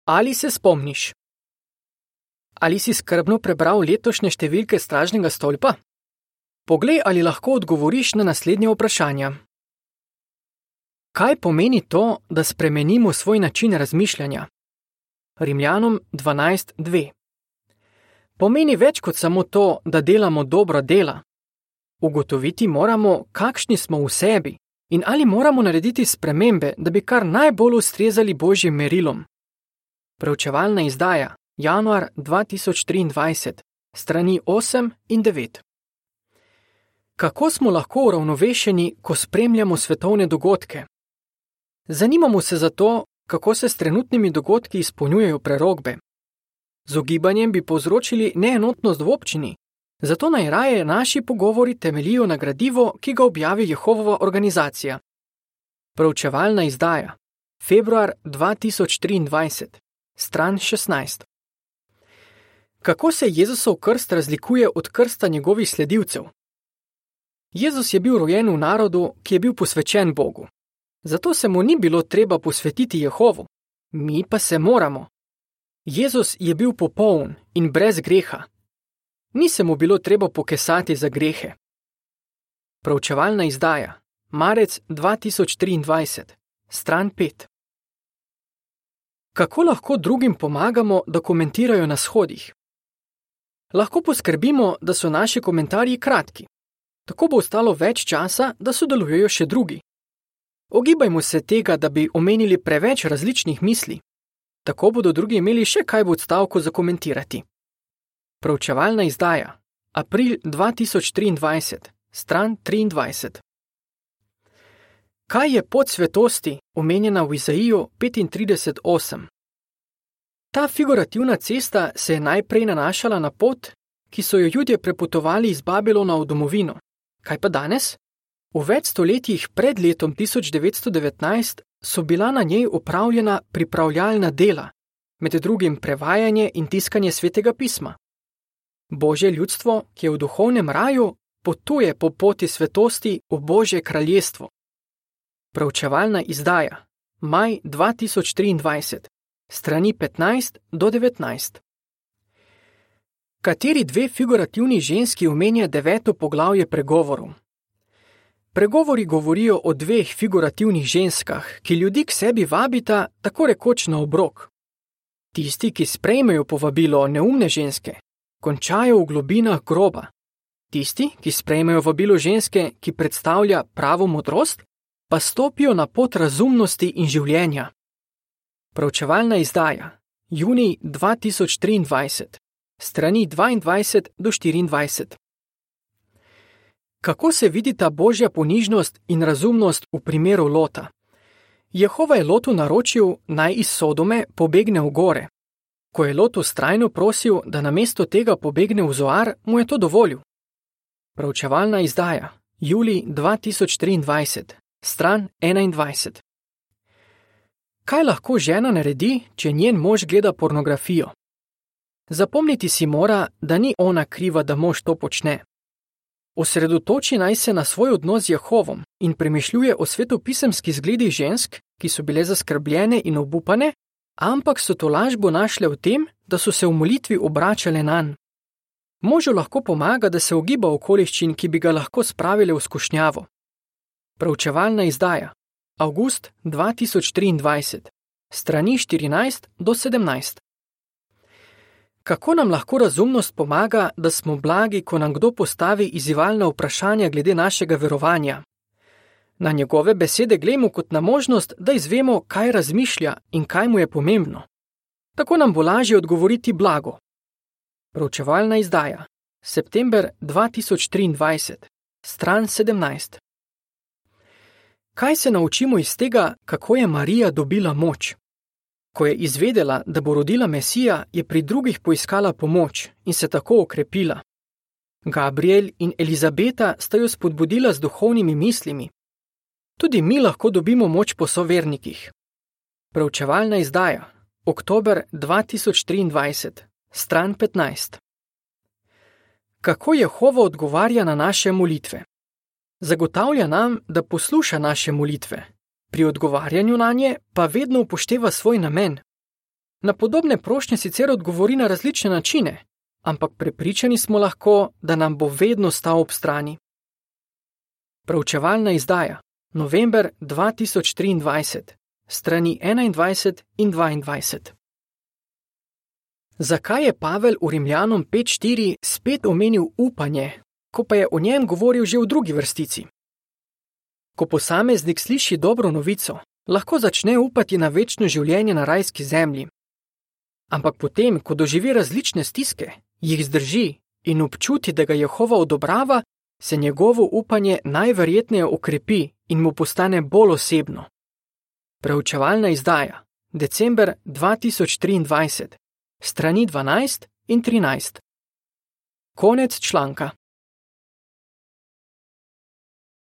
Ali se spomniš? Ali si skrbno prebral letošnje številke Stražnega stolpa? Poglej, ali lahko odgovoriš na naslednje vprašanja. Kaj pomeni to, da spremenimo svoj način razmišljanja? Rimljanom 12:2. Pomeni več kot samo to, da delamo dobra dela. Ugotoviti moramo, kakšni smo v sebi in ali moramo narediti spremembe, da bi kar najbolj ustrezali Božjim merilom. Preučevalna izdaja, januar 2023, strani 8 in 9. Kako smo lahko uravnovešeni, ko spremljamo svetovne dogodke? Zanimamo se za to, kako se s trenutnimi dogodki izpolnjujejo prerokbe. Z ugibanjem bi povzročili neenotnost v občini, zato najraje naši pogovori temeljijo na gradivo, ki ga objavi Jehovova organizacija. Preučevalna izdaja, februar 2023, stran 16. Kako se Jezusov krst razlikuje od krsta njegovih sledilcev? Jezus je bil rojen v narodu, ki je bil posvečen Bogu. Zato se mu ni bilo treba posvetiti Jehovu. Mi pa se moramo. Jezus je bil popoln in brez greha. Ni se mu bilo treba pokesati za grehe. Preučevalna izdaja, marec 2023, stran 5. Kako lahko drugim pomagamo, da komentirajo na shodih? Lahko poskrbimo, da so naši komentarji kratki. Tako bo ostalo več časa, da sodelujejo še drugi. Ogibajmo se tega, da bi omenili preveč različnih misli. Tako bodo drugi imeli še kaj v odstavku za komentirati. Preučevalna izdaja, april 2023, stran 23. Kaj je pot svetosti, omenjena v Izaiju 35:8? Ta figurativna cesta se je najprej nanašala na pot, ki so jo Judje prepotovali iz Babilona v domovino. Kaj pa danes? V več stoletjih pred letom 1919 so bila na njej opravljena pripravljalna dela, med drugim prevajanje in tiskanje Svetega pisma. Božje ljudstvo, ki je v duhovnem raju, potuje po poti svetosti v Božje kraljestvo. Preučevalna izdaja, maj 2023, strani 15 do 19. Kateri dve figurativni ženski omenja 9. poglavje pregovorov? Pregovori govorijo o dveh figurativnih ženskah, ki ljudi k sebi vabita tako rekoč na obrok. Tisti, ki sprejmejo povabilo neumne ženske, končajo v globinah groba. Tisti, ki sprejmejo vabilo ženske, ki predstavlja pravo modrost, pa stopijo na pot razumnosti in življenja. Preučevalna izdaja, junij 2023, strani 22 do 24. Kako se vidita Božja ponižnost in razumnost v primeru Lota? Jehova je Lotu naročil, naj iz Sodome pobegne v gore. Ko je Lot vztrajno prosil, da namesto tega pobegne v Zoar, mu je to dovolil. Preučevalna izdaja, julij 2023, stran 21. Kaj lahko žena naredi, če njen mož gleda pornografijo? Zapomniti si mora, da ni ona kriva, da mož to počne. Osredotoči naj se na svoj odnos z Jehovom in premišljuje o svetopisemskih zgledih žensk, ki so bile zaskrbljene in obupane, ampak so tolažbo našle v tem, da so se v molitvi obračale nanj. Možu lahko pomaga, da se ogiba okoliščin, ki bi ga lahko spravile v skušnjavo. Preučevalna izdaja, avgust 2023, strani 14 do 17. Kako nam lahko razumnost pomaga, da smo blagi, ko nam kdo postavi izzivalna vprašanja glede našega verovanja? Na njegove besede glejmo kot na možnost, da izvemo, kaj razmišlja in kaj mu je pomembno. Tako nam bo lažje odgovoriti blago. Preučevalna izdaja, september 2023, stran 17. Kaj se naučimo iz tega, kako je Marija dobila moč? Ko je izvedela, da bo rodila Mesija, je pri drugih poiskala pomoč in se tako okrepila. Gabriel in Elizabeta sta jo spodbudila z duhovnimi mislimi. Tudi mi lahko dobimo moč po sovernikih. Preučevalna izdaja, oktober 2023, stran 15. Kako Jehova odgovarja na naše molitve? Zagotavlja nam, da posluša naše molitve. Pri odgovarjanju na nje pa vedno upošteva svoj namen. Na podobne prošnje sicer odgovori na različne načine, ampak prepričani smo lahko, da nam bo vedno stal ob strani. Preučevalna izdaja, november 2023, strani 21 in 22. Zakaj je Pavel v Rimljanom 5:4 spet omenil upanje, ko pa je o njem govoril že v drugi vrstici? Ko posameznik sliši dobro novico, lahko začne upati na večno življenje na rajski zemlji. Ampak potem, ko doživi različne stiske, jih zdrži in občuti, da ga Jehova odobrava, se njegovo upanje najverjetneje okrepi in mu postane bolj osebno. Preučevalna izdaja, december 2023, strani 12 in 13. Konec članka.